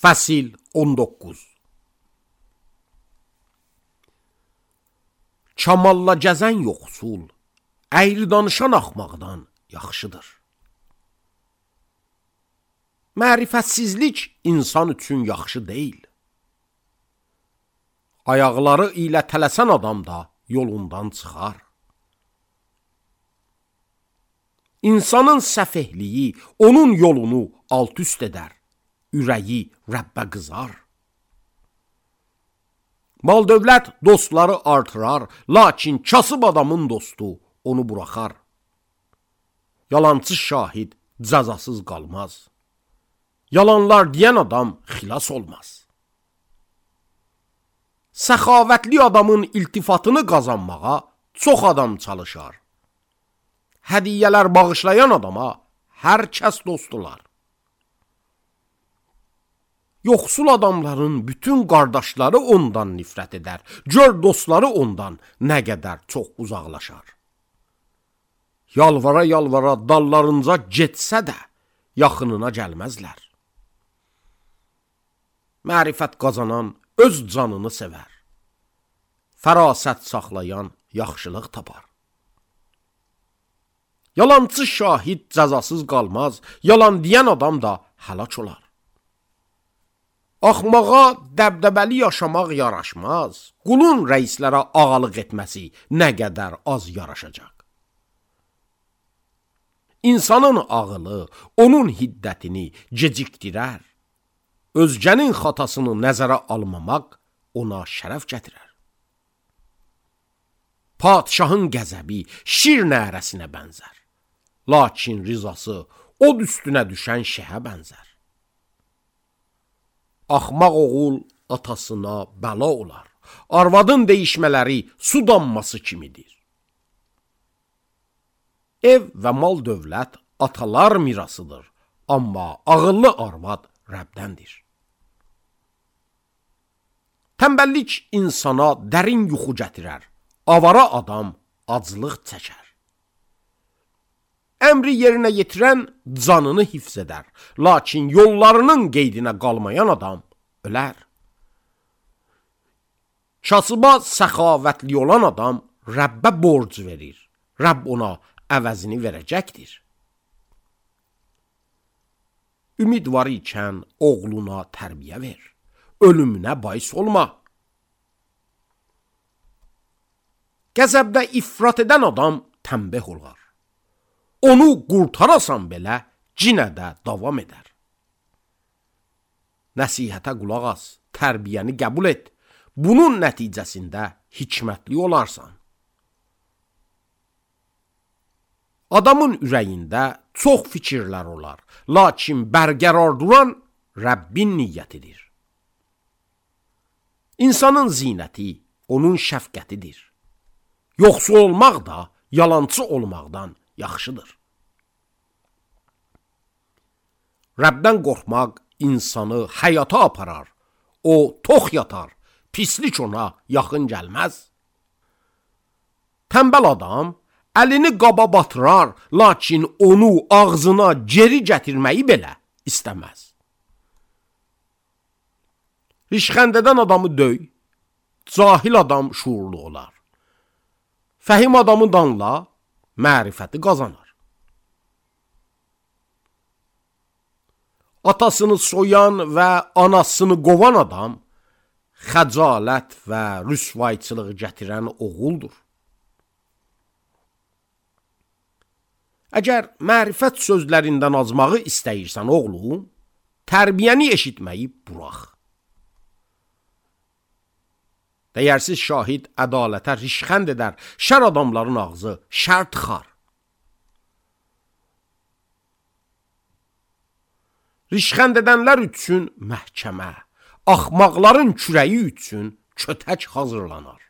Fəsil 19. Kamalla gəzən yoxsul, əyri danışan axmaqdan yaxşıdır. Mərifətsizlik insan üçün yaxşı deyil. Ayaqları ilə tələsən adam da yolundan çıxar. İnsanın səfehliyi onun yolunu alt-üst edər, ürəyi Rəbbə qızar. Mal-dövlət dostları artırar, lakin kasıb adamın dostu onu buraxar. Yalancı şahid cəzasız qalmaz. Yalanlar deyən adam xilas olmaz. Səxavətli adamın iltifatını qazanmağa çox adam çalışar. Hədiyyələr bağışlayan adama hər kəs dostdular. Yoxsul adamların bütün qardaşları ondan nifrət edər. Gör dostları ondan nə qədər çox uzaqlaşar. Yalvara-yalvara dallarınca getsə də yaxınına gəlməzlər. Mərifət qazanan öz canını sevər. Fərasət saxlayan yaxşılıq tapar. Yalancı şahid cəzasız qalmaz, yalan deyən adam da həlak olar. Axmağa dəbdəbəli yaşamaq yaraşmaz, qulun rəislərə ağalıq etməsi nə qədər az yaraşacaq. İnsanın ağılı onun hiddətini gecikdirər. Özgənin xatasını nəzərə almamaq ona şərəf gətirər. Padişahın qəzəbi şir nərəsinə bənzər. Lakin rizası od üstünə düşən şəhə bənzər. Axmaq oğul atasına bəla olar. Arvadın deyişmələri su damması kimidir. Ev və mal dövlət atalar mirasıdır. Amma ağıllı arvad Rəbdəndir. Tənbəllik insana dərin yuxu gətirər. Avara adam aclıq çəkər. Əmri yerinə yetirən canını hifz edər. Lakin yollarının qeydinə qalmayan adam ölər. Kasıba səxavətli olan adam Rəbbə borc verir. Rəbb ona əvəzini verəcəkdir. Ümid var ikən oğluna tərbiyə ver. Ölümünə bais olma. Qəzəbdə ifrat edən adam tənbəh olar. Onu qurtarasan belə cinə də davam edər. Nəsihətə qulaq as, tərbiyəni qəbul et. Bunun nəticəsində hikmətli olarsan. Adamın ürəyində çox fikirlər olar, lakin bərqərar duran Rəbbin niyyətidir. İnsanın zinəti onun şəfqətidir. Yoxsul olmaq da yalançı olmaqdan yaxşıdır. Rəbdən qorxmaq insanı həyata aparar. O tox yatar, pislik ona yaxın gəlməz. Tənbəl adam əlini qaba batırar, lakin onu ağzına geri gətirməyi belə istəməz. Rişxənd edən adamı döy, cahil adam şuurlu olar. Fəhim adamı danla, mərifəti qazanar. Atasını soyan və anasını qovan adam xəcalət və rüsvayçılıq gətirən oğuldur. Əgər mərifət sözlərindən azmağı istəyirsən oğlum, tərbiyəni eşitməyi burax. Dəyərsiz şahid ədalətə rişxənd edər, şər adamların ağzı şər tıxar. Rişxənd edənlər üçün məhkəmə, axmaqların kürəyi üçün kötək hazırlanar.